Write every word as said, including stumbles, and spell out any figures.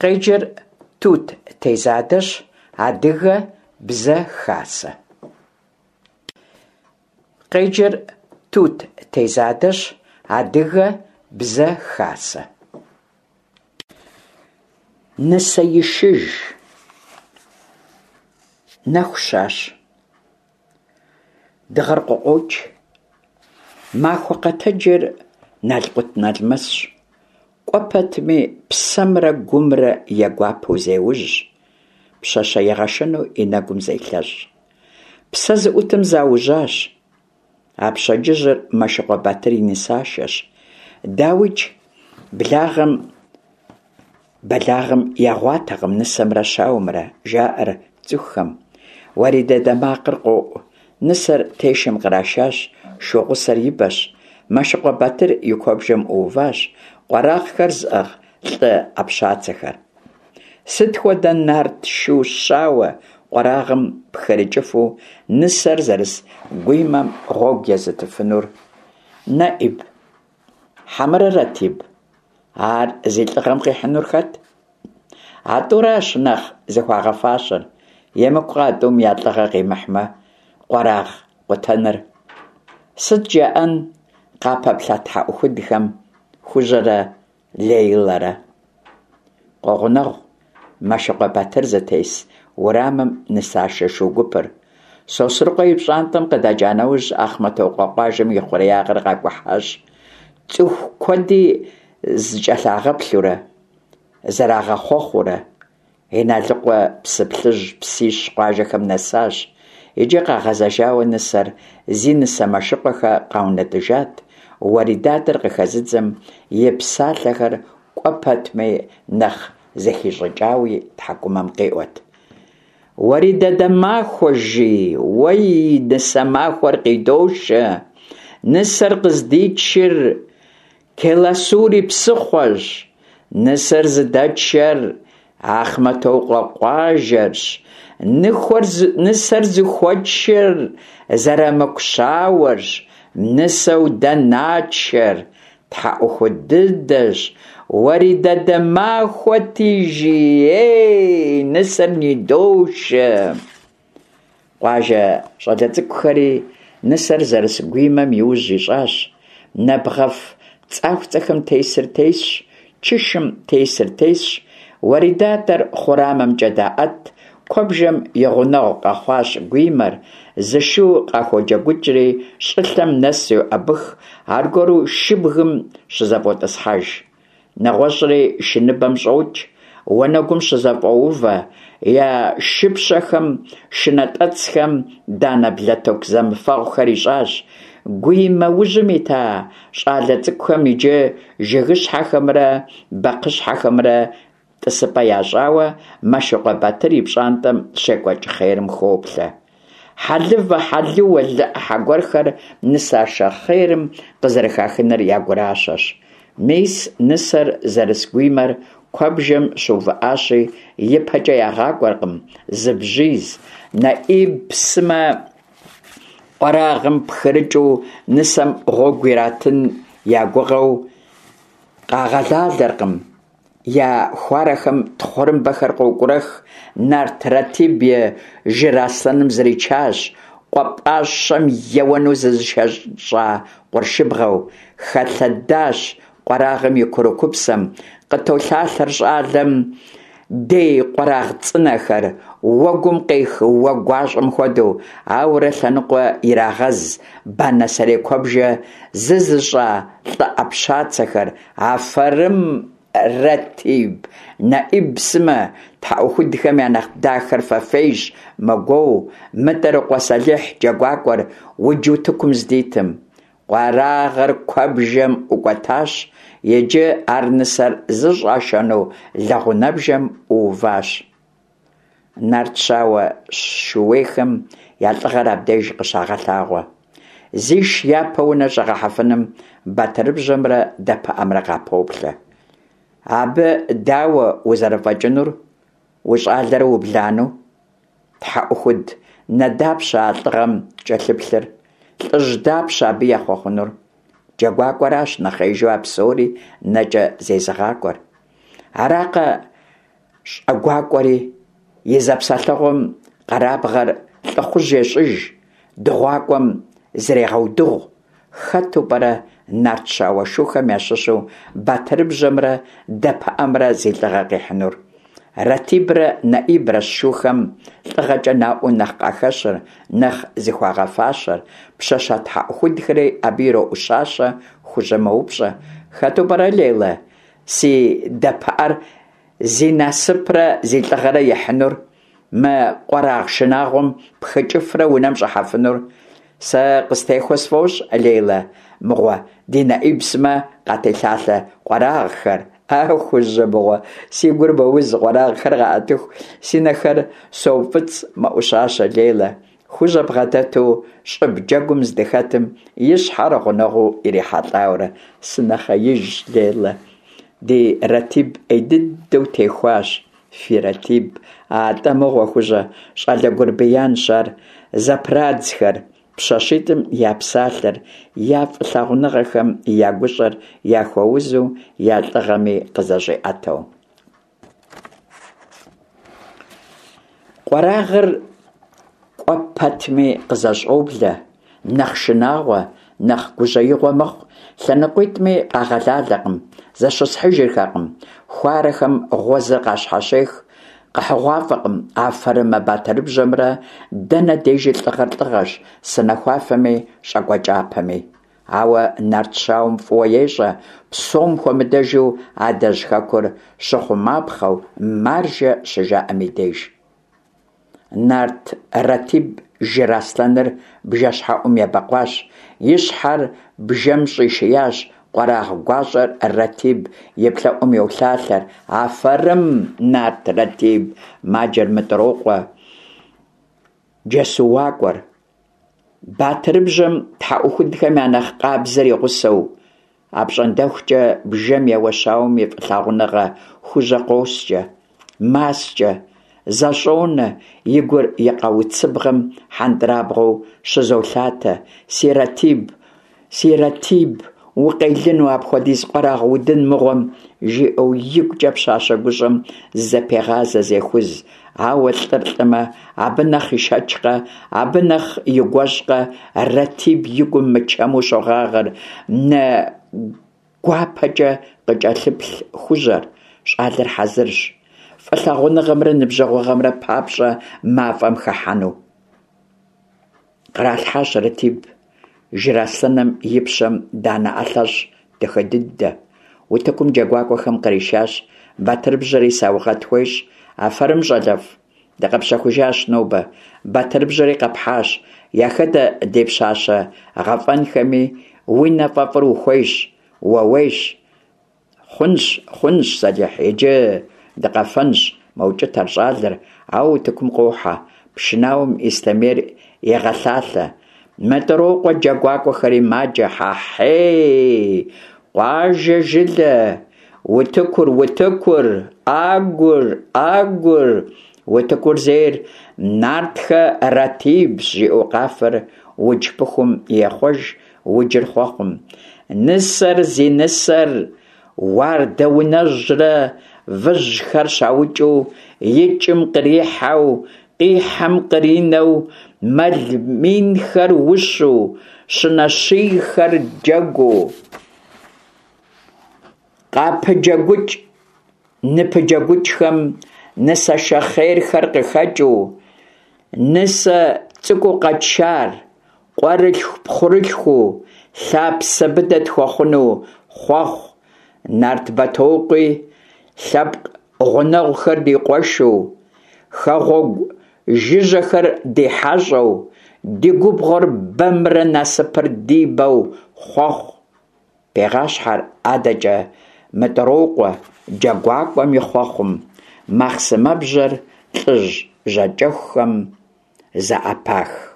Къеджэр Тут Тезадэщ, Адыгэ Бзэ Хасэ. Къеджэр Тут Тезадэщ, Адыгэ Бзэ Хасэ. Нысэишыж. Нэху щащ. Дыгъэр къыкъуокӀ. Махуэ къэтэджыр налкъутналмэсщ, кӀуэ пэтми псэмрэ гумрэ егуапэу зеужь, пщащэ игъэшэну и нэгум зелъэщӀ. Псэ зыӀутым заужьащ. А пщэдджыжьыр Мэшыкъуэ Батыр и нысашэщ. ДауикӀ, благъэм бэлагъым ягъуатэкъым нысэмрэ щауэмрэ, жаӀэр цӀыхухэм. Уэридадэ макъыр къоӀу. Нысэр тешэм кърашащ, шу гъусэр и бэщ. Мэшыкъуэ Батыр и куэбжэм Ӏууващ къуэрагъхэр зыӀыгъ лӀы Ӏэпщацэхэр. Сыт хуэдэ нарт шу щауэ къуэрагъым пхырыкӀыфу нысэр зэрыс гуимэм гъуэгу езытыфынур? НэӀиб хьэмэрэ РэТиб? Ар зи лӀыгъэм къихьынур хэт? А тӀуращ нэхъ зыхуагъэфащэр. ЕмыкӀукъэ а тӀум я лӀыгъэ къимыхьмэ, къуэрагъ къутэныр? Сыт жаӀэн къапэплъэ тхьэӀухудхэм Хужьэрэ Лейлэрэ? Къогъунэгъу Мэшыкъуэ Батыр зытес уэрамым нысашэ шу гупыр. Сосрыкъуэ и пщӀантӀэм къыдэкӀа нэужь, Ахъмэтокъуэ къуажэм и хъуреягъыр къакӀухьащ, цӀыху куэди зыкӀэлъагъэплъурэ, зэрагъэхъуэхъуурэ. Иналыкъуэ, Псыплъыжь, Псищ къуажэхэм нэсащ. Иджы къагъэзэжауэ нысэр зи нысэ Мэшыкъуэхэ къаунэтӀыжат, уэридадэр къыхэзыдзэм и псалъэхэр кӀуэ пэтми нэхъ зэхищӀыкӀауи тхьэкӀумэм къиӀуэт. Уэридадэ махуэ, жи, уэй, нысэ махуэр къидошэ, нысэр къыздитшыр Келасури псыхъуэщ, нысэр зыдэтшэр Ахъмэтокъуэ къуажэрщ, нысэр зыхуэтшэр Зэрамыку щауэрщ, нысэу дэ натшэр тхьэӀухуд дыдэщ, уэридадэ махуэти, жи, ей, нысэр нидошэ. Къуажэ щӀалэ цӀыкӀухэри нысэр зэрыс гуимэм и ужь ищӀащ. Нэбгъэф цӀахуцӀэхэм тесыр тесщ, чышым тесыр тесщ, уэридадэр хъурамэмкӀэ даӀэт, куэбжэм и гъунэгъу къэхъуащ гуимэр, зы шу къаходжэгукӀри щӀылъэм нэс йоӀэбых, аргуэру шыбгым щызэфӀотӀысхьэж. НэгъуэщӀри шыныбэм щӀокӀ, уанэгум щызэфӀоувэ, я шыпщэхэм, шынэтӀэцхэм данэ блэтыку зэмыфэгъухэр ищӀащ. Гуимэ ужьым ита щӀалэ цӀыкӀухэм иджы жыгыщхьэхэмрэ бэкхъыщхьэхэмрэ тӀысыпӀэ ящӀауэ Мэшыкъуэ Батыр и пщӀантӀэм щекӀуэкӀ хъерым хоплъэ. Хьэлывэ, хьэлыуэ, лы Ӏыхьэ гуэрхэр нысашэ хъерым къызэрыхахыныр я гуращэщ. Мис нысэр зэрыс гуимэр куэбжэм щыувыӀащи, ипэкӀэ ягъакӀуэркъым зы бжьиз. НэӀиб сымэ къуэрагъым пхырыкӀыу нысэм гъуэгу иратын я гугъэу къагъэлалэркъым. Я хуарэхэм тхъурымбэхэр къокӀурэх, нарт РэТиб и жыраслъэным зричащ, къуэ пӀащэм еуэну зызышэщӀа къуршыбгъэу. Хэлъэдащ къуэрагъым и курыкупсэм, къытолъалъэр щӀалэм дей къуэрагъ цӀынэхэр, уэгум къех уэ гуащӀэм хуэдэу, ауэрэ лъэныкъуэ ирагъэз банэ сэрей куэбжэ зызыщӀа лӀы Ӏэпщацэхэр. Афэрым, РэТиб, НэӀиб сымэ, тхьэӀухудхэм я нэхъ дахэр фэфейщ, мэгуоу МытӀырыкъуэ Сэлихь джэгуакӀуэр удж утыкум здитым. Къуэрагъыр куэбжэм ӀукӀуэтащ, иджы ар нысэр зыщӀашэну лэгъунэбжэм Ӏууващ. Нарт щауэ шууейхэм я лӀыгъэр абдеж къыщагъэлъагъуэ. Зиш япэ унэ щӀэгъэхьэфыным батырыбжьэмрэ дэпыӀэмрэ къапоплъэ. Абы дауэ узэрыфӀэкӀынур, ущӀалэрэ убланэу? ТхьэӀухуд нэ дапщэ а лӀыгъэм кӀэлъыплъыр? ЛӀыжь дапщэ абы ехъуэхъунур? ДжэгуакӀуэращ нэхъеижу а псори нэкӀэ зезыгъакӀуэр. Аракъэ щӀэгуакӀуэри, и зэпсэлъэгъум къэрабгъэр лӀыхъужь ещӀыж, дыгъуакӀуэм зрегъэудыгъу. Хэту пӀэрэ нарт щауэ шухэм ящыщу батырыбжьэмрэ дэпыӀэмрэ зи лӀыгъэ къихьынур? РэТибрэ НэӀибрэщ шухэм лӀыгъэкӀэ наӀуэу нэхъ къахэщыр, нэхъ зыхуагъэфащэр. Пщащэ тхьэӀухудхэри абы ироӀущащэ. Хужьэ мэупщӀэ: «Хэту пӀэрэ, Лейла, си дэпыӀэр зи насыпрэ зи лӀыгъэрэ ихьынур, мы къуэрагъ шынагъуэм пхыкӀыфрэ унэм щӀыхьэфынур?» «Сэ къыстехуэ сфӀощӀ, Лейла мыгъуэ, ди НэӀиб сымэ къателъалъэ къуэрагъхэр». «А, Хужьэ мыгъуэ, си гур мэуз, къуэрагъхэр къаӀэтыху си нэхэр соуфӀыцӀ», – мэӀущащэ Лейла, Хужьэ бгъэдэту щӀыб джэгум здыхэтым и щхьэр гъунэгъуу ирихьэлӀауэрэ. «Сынэхъеижщ, Лейла, ди РэТиб Ӏей дыдэу техуащ». «Фи РэТиб? АтӀэ мыгъуэ, Хужьэ, щӀалэ гурбиянщ ар», – зэпрадзхэр пщащитӀым я псалъэр, я фӀылъагъуныгъэхэм я гущӀэр яхуэузу, я лӀыгъэми къызэщӀиӀэтэу. Къуэрагъыр кӀуэ пэтми къызэщӀоблэ, нэхъ шынагъуэ, нэхъ гужьеигъуэ мэхъу. ЛъэныкъуитӀми къагъэлалэкъым, зэщысхьыжырхэкъым. Хуарэхэм гъуэзыр къащхьэщех. КъэхьыгъуафӀэкъым афэрымэ батырыбжьэмрэ дэнэ дежи лӀыгъэр лӀыгъэщ, санэхуафэми щӀакӀуэ кӀапэми. Ауэ нарт щауэм фӀыуэ ещӀэ, псом хуэмыдэжу адэжь хэкур щыхъумапхъэу «маржэ» щыжаӀэм и деж. Нарт РэТиб жыр аслъэныр бжэщхьэӀум ебэкъуащ, и щхьэр бжэм щӀишиящ, къуэрагъ гуащӀэр РэТиб и плӀэӀум йолъалъэр. «Афэрым, нарт РэТиб!» – маджэр МытӀрокъуэ джэсуакӀуэр, батырыбжьэм тхьэӀухудхэм я нэхъ къабзэр и гъусэу. АпщӀондэхукӀэ бжэм еуэ щауэм и фӀылъагъуныгъэ Хужьэ къоскӀэ, маскӀэ, зэщӀонэ, и гур и къауцыбгъэм хьэндырабгъуэу щызолъатэ. «Си РэТиб, си РэТиб, укъелыну апхуэдиз къуэрагъ удын мыгъуэм!» жиӀэу игукӀэ пщащэ гущӀэм зызэпегъазэ, зехуз. Ауэ лӀыр лӀымэ, абы нэхъ ишэчкъэ, абы нэхъ игуэщӀкъэ, РэТиб и гум мычэму щогъагъэр нэ гуапэкӀэ къыкӀэлъыплъ Хужьэр. ЩӀалэр хьэзырщ фӀылъагъуныгъэмрэ ныбжьэгъугъэмрэ папщӀэ мафӀэм хыхьэну. Къралъхьащ РэТиб жыр аслъэным и пщэм данэ ӀэлъэщӀ дахэ дыдэ. Утыкум джэгуакӀуэхэм къришащ, батырыбжьэри саугъэт хуещӀ. «Афэрым, щӀалэфӀ, дыкъэпщэхужащ нобэ, батырыбжьэри къэпхьащ, яхэдэ ди пщащэ гъэфӀэнхэми, уи нэ фӀэфӀыр ухуейщ, ууейщ». «Хъунщ, хъунщ, Сэлихь, иджы дыкъэфэнщ», мэукӀытэр щӀалэр, ауэ утыкум къохьэ. Пшынауэм ислъэмейр егъэлъалъэ. МытӀрокъуэ джэгуакӀуэхэри маджэ: «Хьэхьей, къуажэ, жылэ, утыкур, утыкур, Ӏэгур, Ӏэгур, утыкур зейр нартхэ Рэтибщ!» жиӀэу къафэр удж пыхум ехъуэж, уджыр хъуэхъум. Нысэр зи нысэр уардэунэжьрэ выжьхэр щаукӀыу, икӀым кърихьэу, къихьэм къринэу, мэл минхэр ущу, щынэ щийхэр джэгуу, къапыджэгукӀ-ныпыджэгукӀхэм нысашэ хъерхэр къыхэкӀыу, нысэ цӀыкӀуу къэтшар къуэрылъху-пхъурылъхуу, лъапсэ быдэ тхуэхъуну хъуэхъу, нарт Бэтокъуи лъэпкъ гъунэгъухэр ди къуэшу, хэгъуэгу жыжьэхэр ди хьэщӀэу, ди губгъуэр бэмрэ насыпыр ди бэу хъуэхъу. Пегъащхьэр адэкӀэ МытӀрокъуэ джэгуакӀуэм и хъуэхъум, махъсымэбжьэр лӀыжь жьакӀэхухэм зэӀэпах.